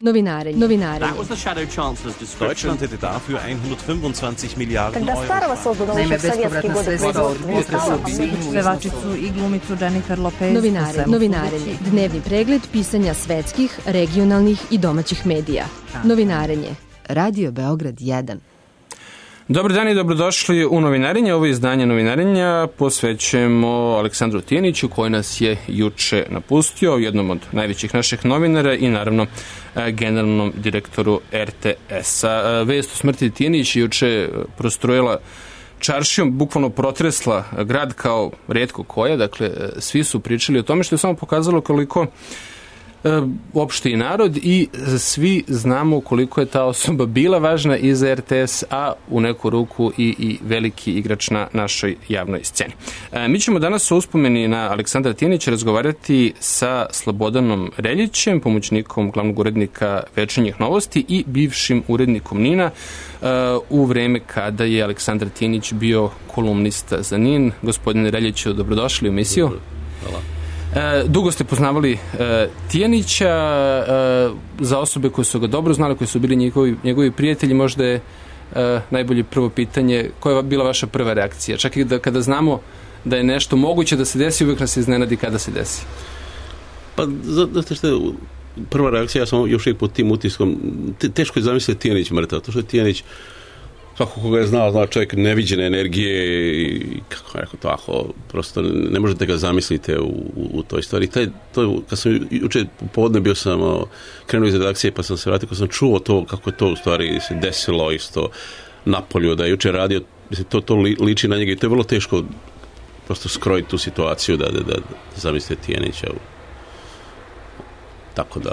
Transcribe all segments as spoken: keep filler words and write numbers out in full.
Novinarenje. Novinarenje. That was the Shadow Chancellor's description. Deutschland hätte dafür hundertfünfundzwanzig Milliarden Тогда Euro. старого созданного Naime, еще в советские bespovratna годы sredstva od производства не стало. pevačicu i glumicu Jennifer Lopez. Novinarenje. Novinarenje. Dnevni pregled pisanja svetskih, regionalnih i domaćih medija. Novinarenje. Radio Beograd jedan. Dobar dan i dobrodošli u Novinarenje. Ovo izdanje Novinarenja posvećujemo Aleksandru Tijaniću koji nas je juče napustio, jednom od najvećih naših novinara i naravno generalnom direktoru er te es-a. Vest o smrti Tijanić juče prostrojila čaršijom, bukvalno protresla grad kao retko koja, dakle svi su pričali o tome, što je samo pokazalo koliko opšti narod i svi znamo koliko je ta osoba bila važna i za er te es, a u neku ruku i, i veliki igrač na našoj javnoj sceni. E, mi ćemo danas o uspomeni na Aleksandra Tijanića razgovarati sa Slobodanom Reljićem, pomoćnikom glavnog urednika Večernjih novosti i bivšim urednikom NIN-a e, u vreme kada je Aleksandar Tijanić bio kolumnista za NIN. Gospodine Reljiću, dobrodošli u emisiju. Hvala. E, dugo ste poznavali e, Tijanića, e, za osobe koje su ga dobro znali, koji su bili njegovi, njegovi prijatelji, možda je e, najbolje prvo pitanje, koja je bila vaša prva reakcija? Čak i da kada znamo da je nešto moguće da se desi, uvijek nas se iznenadi kada se desi. Pa, zato što je prva reakcija, ja sam još uvijek pod tim utiskom, te, teško je zamisliti Tijanić mrtav, to što je Tijanić, svako koga je znao, zna čovjek neviđene energije i kako je rekao tako, prosto ne možete ga zamislite u, u, u toj stvari. Taj, to, kad sam jučer popodne bio sam krenuo iz redakcije pa sam se vratio, kad sam čuo to kako je to u stvari se desilo isto napolju, da je jučer radio, mislim, to, to liči na njega i to je vrlo teško prosto skrojiti tu situaciju da, da, da zamislite Tijanića. Tako da...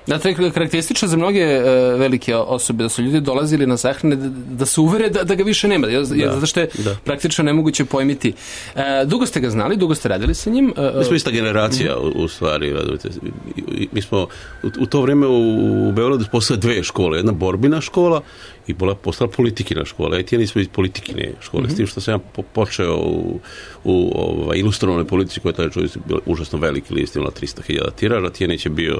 Da, to je karakteristično za mnoge e, velike osobe, da su ljudi dolazili na sahrane da, da se uvere da, da ga više nema, jer, jer, zato što je da. praktično nemoguće pojmiti. E, dugo ste ga znali, dugo ste radili sa njim? E, mi smo ista generacija, mm-hmm. u, u stvari. Mi smo u, u to vrijeme u, u Beogradu postale dve škole. Jedna borbina škola i postala politikina škola. I tijeni smo iz politikine škole, mm-hmm. s tim što sam ja po, počeo u, u ovaj, ilustrovnoj politici koja je tada bila užasno veliki list, imala tristo hiljada tiraža. Tijenić je bio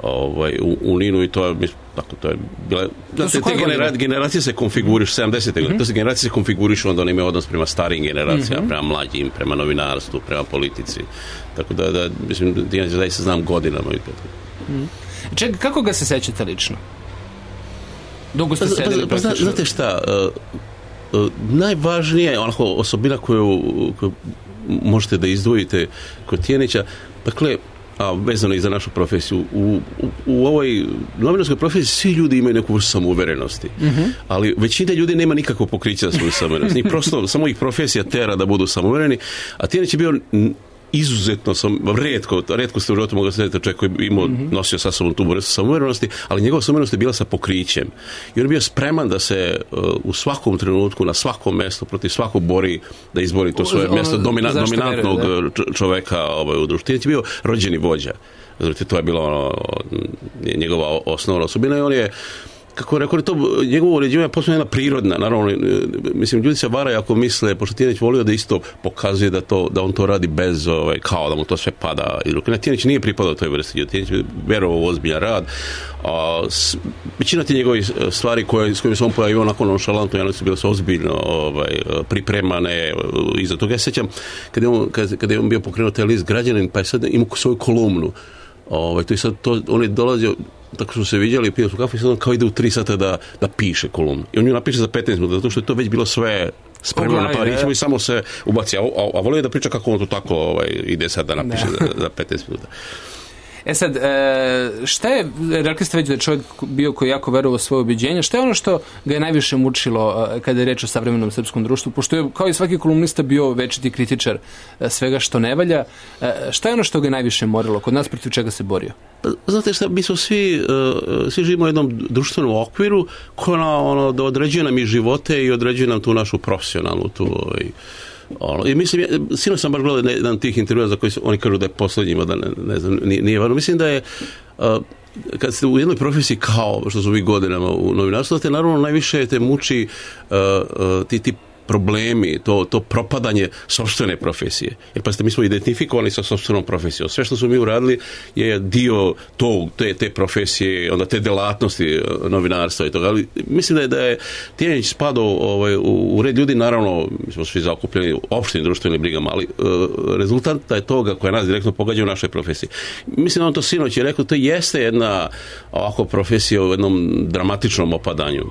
ovaj, u, u NIN-u i to je, tako, to je bila, da te, te genera, generacije se konfiguriš, sedamdesete godine, to se generacije se konfiguriš, onda oni imaju odnos prema starijim generacijama, mm-hmm. prema mlađim, prema novinarstvu, prema politici, tako da, da mislim, ja zaista znam godinama i to. Mm-hmm. Čekaj, kako ga se sećate lično? Dugo ste pa, sedeli pa, pa, pa, znate šta, uh, uh, najvažnije onako osobina koju, koju možete da izdvojite kod Tijanića, dakle, a vezano i za našu profesiju. U, u, u ovoj novinarskoj profesiji svi ljudi imaju neku vrstu samouverenosti, mm-hmm. ali većina ljudi nema nikakvo pokriće za svoju samouverenost. Njih prosto, samo ih profesija tera da budu samouvereni, a Tijanić je bio izuzetno sam, redko, redko ste u životu mogli srediti čovjek koji je imao, mm-hmm. nosio sa sobom tu vrstu samouverenosti, ali njegova samouverenost je bila sa pokrićem. I on je bio spreman da se uh, u svakom trenutku, na svakom mjestu, protiv svakog bori, da izbori to svoje ono, mjesto domina, dominantnog veruje, čovjeka ovaj, u društvu. Tijanić je bio rođeni vođa. Znači, to je bila ono, njegova osnovna osobina i on je, kako rekao, to njegovo uređivanje je posebno jedna prirodna, naravno, mislim, ljudi se varaju ako misle, pošto Tijanić volio da isto pokazuje da, to, da on to radi bez, ovaj, kao da mu to sve pada iz ruke. Tijanić nije pripadao toj vrsti, Tijanić je verovao u ozbiljan rad, a s, većina ti njegovih stvari koje, s kojima se on pojavio onako nonšalantno, one su bile su ozbiljno ovaj, pripremane iza toga. Ja sećam, kada je on, kada, kada je on bio pokrenuo taj list Građanin, pa je sad imao svoju kolumnu, ovaj, to je sad, to, on je dolazio, tako smo se vidjeli, pili smo kafu i sad on kao ide u tri sata da, da piše kolumnu. I on ju napiše za petnaest minuta, zato što je to već bilo sve spremno na parićima i samo se ubaci. A, a, a volio je da priča kako on to tako ovaj, ide sad da napiše za, za petnaest minuta. E sad, šta je, rekli ste već da je čovjek bio koji jako verovao svoje ubjeđenja, šta je ono što ga je najviše mučilo kada je reč o savremenom srpskom društvu, pošto je kao i svaki kolumnista bio večiti kritičar svega što ne valja, šta je ono što ga je najviše morilo, kod nas protiv čega se borio? Znate šta, mi smo svi, svi živimo u jednom društvenom okviru koja ono, da određuje nam i živote i određuje nam tu našu profesionalnu tu ovaj, ono, i mislim, ja, sinoć sam baš gledao jedan tih intervjua za koji su, oni kažu da je posljednjima, da ne, ne znam, nije, nije varno. Mislim da je, uh, kad ste u jednoj profesiji kao što su vi godinama u novinarstvu, da te naravno najviše te muči uh, uh, ti, ti problemi, to, to propadanje sopstvene profesije. Jer pa ste mi smo identifikovani sa sopstvenom profesijom. Sve što smo mi uradili je dio tog, te, te profesije, onda te delatnosti novinarstva i toga. Ali mislim da je, da je Tijanić spadao ovaj, u, u red ljudi, naravno, mi smo svi zakupljeni opštim društvenim brigama, ali uh, rezultat je toga koja nas direktno pogađa u našoj profesiji. Mislim da on to sinoć je rekao, to jeste jedna ovako profesija u jednom dramatičnom opadanju.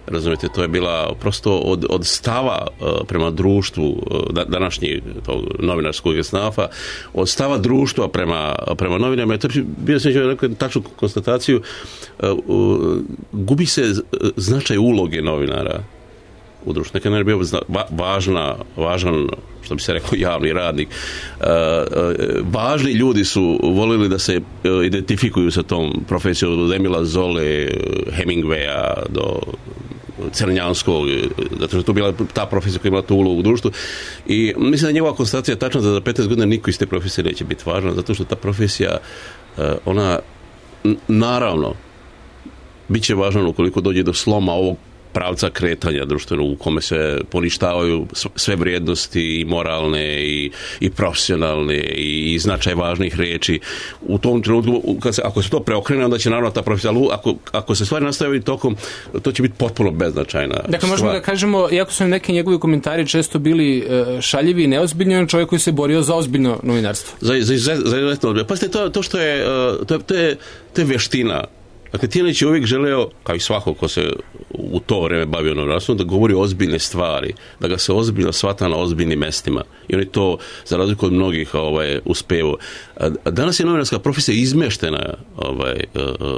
Razumijete, to je bila prosto od, od stava uh, prema društvu uh, današnjeg tog novinarskog snafa, od stava društva prema, prema novinama. To je bio sam rekao tačnu konstataciju, uh, uh, gubi se značaj uloge novinara u društvu. Nekada je bio va, važna, važan, što bi se rekao, javni radnik. Uh, uh, važni ljudi su volili da se uh, identifikuju sa tom profesijom, od Emila Zole, Hemingwaya do Crnjanskog, zato što je to bila ta profesija koja je imala tu ulogu u društvu. I mislim da je njegova konstatacija tačna da za petnaest godina niko iz te profesije neće biti važna, zato što ta profesija, ona naravno bit će važna ukoliko dođe do sloma ovog pravca kretanja društvenog u kome se poništavaju sve vrijednosti i moralne i, i profesionalne i, i značaj važnih riječi. U tom trenutku, kad se, ako se to preokrene, onda će naravno ta profesija, ali ako, ako se stvari nastavi tokom, to će biti potpuno beznačajna. Dakle, možemo da kažemo, iako su neki njegovi komentari često bili šaljivi i neozbiljni, on čovjek koji se borio za ozbiljno novinarstvo. Za, za, za, za izuzetno ozbiljno. Pazite, to, to što je, to, to je, to je vještina. Dakle, Tijanić je uvijek želeo, kao i svako ko se u to vrijeme bavio novinarstvom, da govori ozbiljne stvari, da ga se ozbiljno shvata na ozbiljnim mestima. I on je to, za razliku od mnogih, ovaj, uspeo. Danas je novinarska profesija izmeštena ovaj,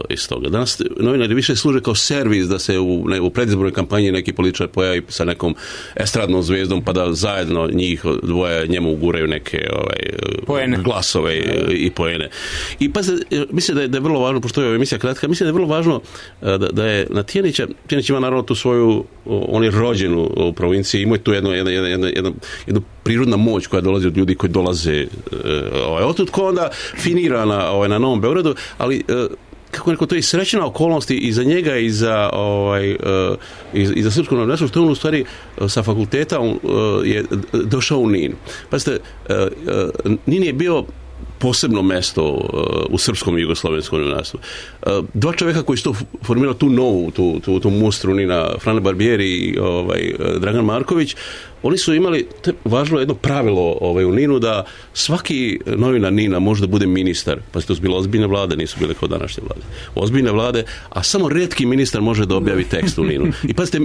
iz toga. Danas novinari više služe kao servis da se u, ne, u predizbornoj kampanji neki političar pojavi sa nekom estradnom zvijezdom pa da zajedno njih dvoje njemu uguraju neke ovaj, glasove i, i poene. I pa mislim da je, da je vrlo važno, pošto je emisija kratka, mislim da je vrlo važno da, da je na Tijanića, Tijanić ima naravno tu svoju, on je rođen u, u provinciji, ima tu jednu, jednu, jednu, jednu, jednu prirodna moć koja dolazi od ljudi koji dolaze ovaj, otud ko onda finira na, ovaj, na Novom Beogradu, ali kako neko, to je srećena okolnost i za njega i za, ovaj, i, i za srpsku novinarstvo, što on u stvari sa fakulteta on, je došao u Nin. Pazite, Nin je bio posebno mesto uh, u srpskom i jugoslovenskom novinarstvu. Uh, dva čovjeka koji su to formirali tu novu, tu, tu, tu mustru Nina, Frane Barbieri i ovaj, Dragan Marković, oni su imali, to je važno jedno pravilo ovaj, u Ninu, da svaki novinar Nina može da bude ministar. Pa to su bile ozbiljne vlade, nisu bile kao današnje vlade. Ozbiljne vlade, a samo retki ministar može da objavi tekst u Ninu. I pazite,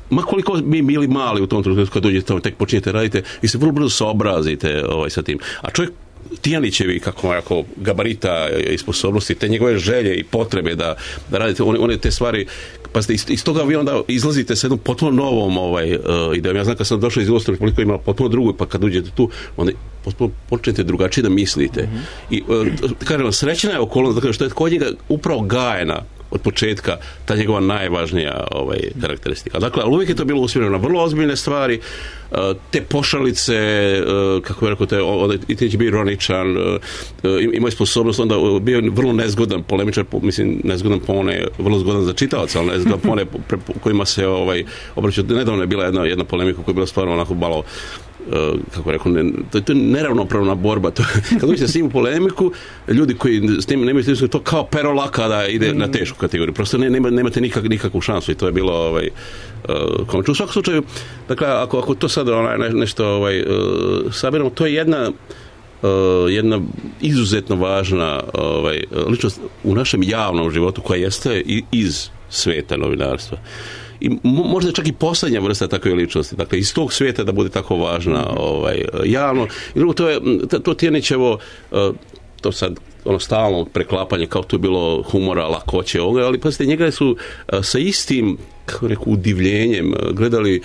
ma koliko mi bili mali u tom trenutku kad dođete tamo, tek počinjete radite, vi se vrlo brzo saobrazite ovaj, sa tim. A čovjek Tijanićevi, kako jako gabarita i sposobnosti, te njegove želje i potrebe da, da radite one, one te stvari, pa ste iz, iz toga vi onda izlazite sa jednom potpuno novom ovaj, uh, idejom. Ja znam kad sam došao iz Jugoslavije, koliko ima potpuno drugu, pa kad uđete tu, onda potpuno počnete drugačije da mislite. Mm-hmm. I uh, kažem, srećna je okolnost, dakle, što je kod njega upravo gajena od početka ta njegova najvažnija ovaj, karakteristika. Dakle, ali uvijek je to bilo usmjereno na vrlo ozbiljne stvari, uh, te pošalice, uh, kako je rekao, te, onda i ti će biti ironičan, uh, imao je sposobnost, onda bio vrlo nezgodan polemičar, mislim, nezgodan po one, vrlo zgodan za čitalaca, ali nezgodan po one pre, po kojima se ovaj, obraćao. Nedavno je bila jedna, jedna polemika koja je bila stvarno onako malo Uh, kako rekao, ne, to, to je neravnopravna borba. To, kad uđete s njim u polemiku, ljudi koji s tim nemaju stisku, to kao pero laka da ide na tešku kategoriju. Prosto ne, nema, nemate nikak, nikakvu šansu i to je bilo ovaj, uh, komično. U svakom slučaju, dakle, ako, ako to sad onaj, ne, nešto ovaj, uh, sabiramo, to je jedna uh, jedna izuzetno važna ovaj, ličnost u našem javnom životu koja jeste iz sveta novinarstva. I možda čak i posljednja vrsta takve ličnosti, dakle iz tog svijeta da bude tako važna ovaj, javno. I drugo, to je to Tijanićevo, to sad ono stalno preklapanje, kao to je bilo humora, lakoće ovoga, ali pazite, njega su sa istim, kako reku, udivljenjem gledali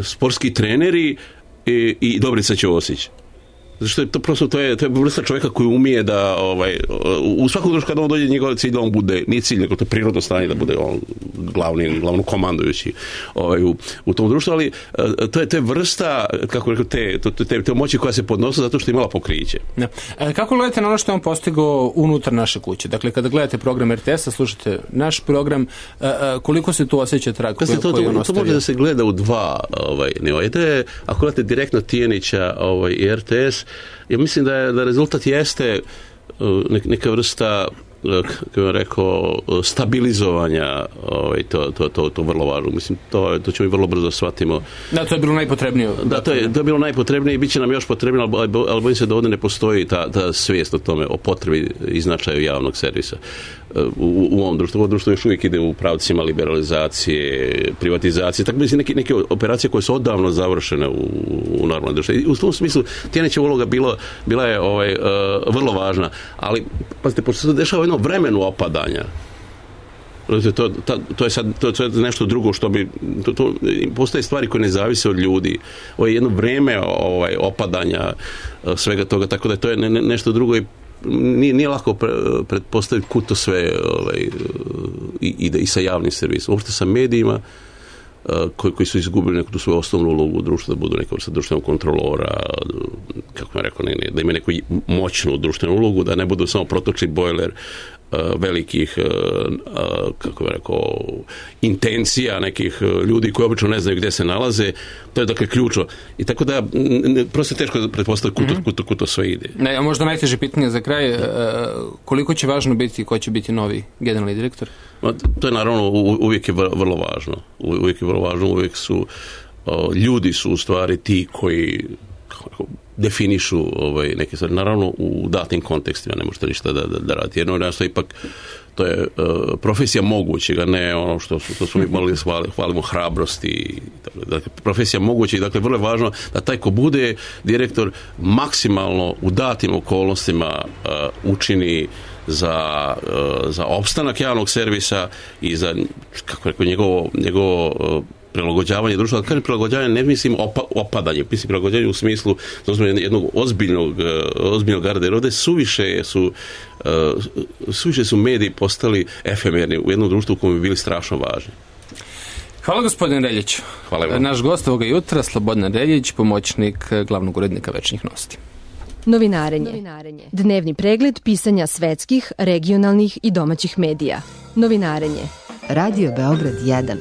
sportski treneri i, i Dobrica Ćosić. Zato što je to prosto, to je, to je vrsta čovjeka koji umije da, ovaj, u svakom društvu kada on dođe njegov cilj da on bude, nije cilj, nego to je prirodno stanje da bude on glavni, glavno komandujući ovaj, u, u tom društvu, ali to je, to je vrsta, kako rekao, te, te, te, te moći koja se podnosi zato što je imala pokriće. Ja. E, kako gledate na ono što je on postigao unutar naše kuće? Dakle, kada gledate program R T S-a, slušate naš program, e, e, koliko se tu osjeća trag koji, to, koji on to, ostavio? To može da se gleda u dva ovaj, nivoa. Ide, ako gledate direktno Tijanića ovaj, i R T S, ja mislim da, je, da rezultat jeste neka vrsta, kako bih rekao, stabilizovanja, ovaj, to, to, to, to vrlo važno. Mislim, to, to ćemo i vrlo brzo shvatimo. Da, to je bilo najpotrebnije. Da, to je, to je bilo najpotrebnije i bit će nam još potrebnije, ali, ali bojim se da ovdje ne postoji ta, ta svijest o tome, o potrebi i značaju javnog servisa. U, u ovom društvu. Ovo društvo još uvijek ide u pravcima liberalizacije, privatizacije, tako mislim neke, neke operacije koje su odavno završene u, u normalnom društvu. I u tom smislu Tijanićeva uloga bilo, bila je ovaj, uh, vrlo važna, ali pazite, pošto se dešava jedno vremenu opadanja, to, to, to je sad to, to je nešto drugo što bi to, to, postoje stvari koje ne zavise od ljudi. Ovo je jedno vreme ovaj, opadanja uh, svega toga, tako da to je ne, ne, nešto drugo i Nije, nije lako pre, pretpostaviti kud to sve ovaj, ide i sa javnim servisom. Uopšte sa medijima koji, koji su izgubili neku tu svoju osnovnu ulogu u društvu, da budu neka vrsta društvenog kontrolora, kako je rekao, ne, ne, da imaju neku moćnu društvenu ulogu, da ne budu samo protočni bojler velikih, kako bih rekao, intencija nekih ljudi koji obično ne znaju gdje se nalaze. To je dakle ključno. I tako da, prosto je teško pretpostaviti kud, mm-hmm. kud, kud to sve ide. Ne, a možda najteže pitanje za kraj, koliko će važno biti, ko će biti novi generalni direktor? To je naravno uvijek je vrlo važno. Uvijek je vrlo važno, uvijek su, ljudi su u stvari ti koji definišu ovaj, neke stvari. Naravno, u datim kontekstima ne možete ništa da, da, da raditi. Jedno je ipak, to je uh, profesija mogućega, ne ono što su, to su mi morali hvali, hvalimo hrabrosti. Dakle, profesija mogućeg, dakle, vrlo je važno da taj ko bude direktor maksimalno u datim okolnostima uh, učini za, uh, za opstanak javnog servisa i za, kako rekao, njegovo, njegovo uh, prilagođavanje društva. Kad kažem prilagođavanje, ne mislim opa, opadanje, mislim prilagođavanje u smislu jednog ozbiljnog, ozbiljnog garda, jer ovdje suviše su, uh, suviše su mediji postali efemerni u jednom društvu u kojem bi bili strašno važni. Hvala gospodine Reljić. Hvala vam. Naš gost ovoga jutra, Slobodan Reljić, pomoćnik glavnog urednika Večnih novosti. Novinarenje. Novinarenje. Dnevni pregled pisanja svetskih, regionalnih i domaćih medija. Novinarenje. Radio Beograd jedan.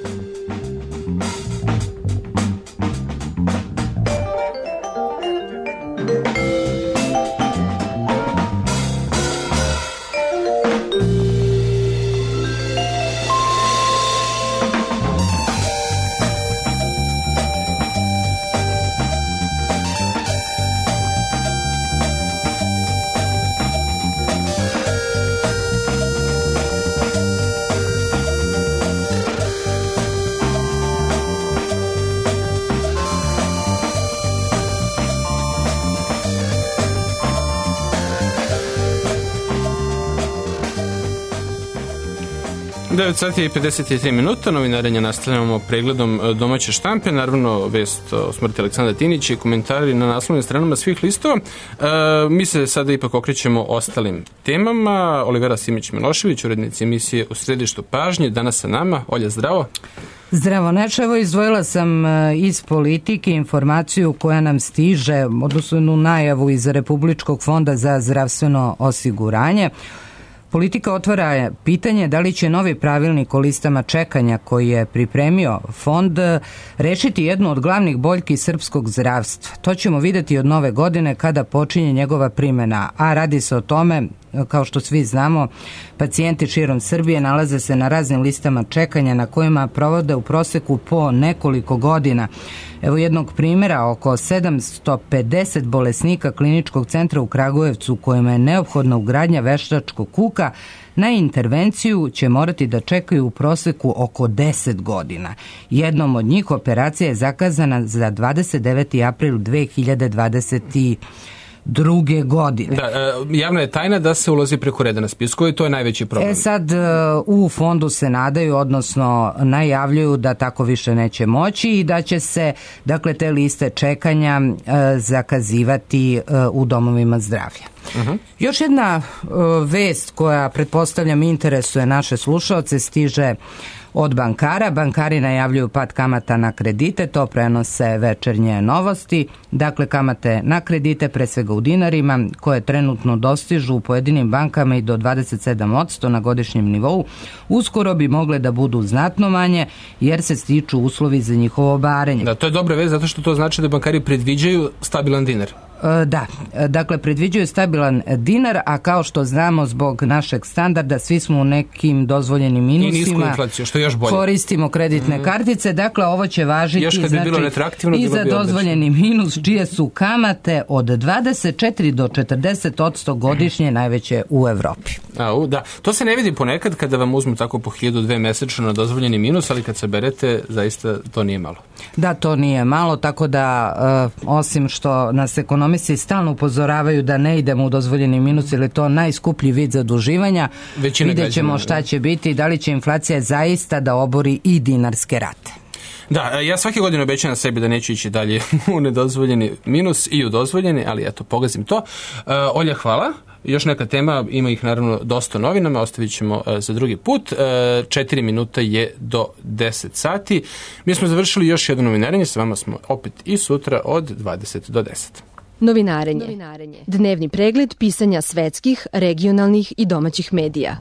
devet sati i pedeset tri minuta, novinarenja nastavljamo pregledom domaće štampe, naravno vest o smrti Aleksandra Tijanića i komentari na naslovnim stranama svih listova. E, mi se sada ipak okrećemo ostalim temama. Olivera Simić-Milošević, urednica emisije U središtu pažnje, danas sa nama. Olja, zdravo. Zdravo, Neče, evo izdvojila sam iz politike informaciju koja nam stiže, odnosno najavu iz Republičkog fonda za zdravstveno osiguranje. Politika otvara pitanje da li će novi pravilnik o listama čekanja koji je pripremio fond rešiti jednu od glavnih boljki srpskog zdravstva. To ćemo vidjeti od nove godine kada počinje njegova primjena, a radi se o tome, kao što svi znamo, pacijenti širom Srbije nalaze se na raznim listama čekanja na kojima provode u proseku po nekoliko godina. Evo jednog primjera, oko sedamsto pedeset bolesnika kliničkog centra u Kragujevcu kojima je neophodna ugradnja veštačkog kuka, na intervenciju će morati da čekaju u proseku oko deset godina. Jednom od njih operacija je zakazana za dvadeset deveti april dve hiljade dvadeset druge godine. Da, javna je tajna da se ulazi preko reda na spisku i to je najveći problem. E sad, u fondu se nadaju, odnosno najavljuju da tako više neće moći i da će se, dakle, te liste čekanja zakazivati u domovima zdravlja. Uh-huh. Još jedna vest koja, pretpostavljam, interesuje naše slušaoce, stiže od bankara. Bankari najavljuju pad kamata na kredite, to prenose Večernje novosti. Dakle, kamate na kredite, pre svega u dinarima, koje trenutno dostižu u pojedinim bankama i do dvadeset sedam posto na godišnjem nivou, uskoro bi mogle da budu znatno manje, jer se stiču uslovi za njihovo barenje. Da, to je dobra vest, zato što to znači da bankari predviđaju stabilan dinar. Da, dakle, predviđaju stabilan dinar, a kao što znamo, zbog našeg standarda svi smo u nekim dozvoljenim minusima. I nisku inflaciju, što je još bolje. Koristimo kreditne mm. kartice, dakle, ovo će važiti još kad bi bilo retroaktivno, i za dozvoljeni minus, čije su kamate od dvadeset četiri do četrdeset posto godišnje najveće u Evropi. A, u, da. To se ne vidi ponekad kada vam uzmu tako po hiljadu dve mesečno na dozvoljeni minus, ali kad se berete, zaista to nije malo. Da, to nije malo, tako da uh, osim što nas ekonomisti stalno upozoravaju da ne idemo u dozvoljeni minus, jer je to najskuplji vid zaduživanja, vidjet ćemo šta će biti, da li će inflacija zaista da obori i dinarske rate. Da, ja svake godine obećam sebi da neću ići dalje u nedozvoljeni minus i u dozvoljeni, ali eto, pogazim to. Uh, Olja, hvala. Još neka tema, ima ih naravno dosta novinama, ostavit ćemo uh, za drugi put. Uh, četiri minuta je do deset sati. Mi smo završili još jedno novinarenje, s vama smo opet i sutra od dvadeset do deset. Novinarenje. Novinarenje. Dnevni pregled pisanja svetskih, regionalnih i domaćih medija.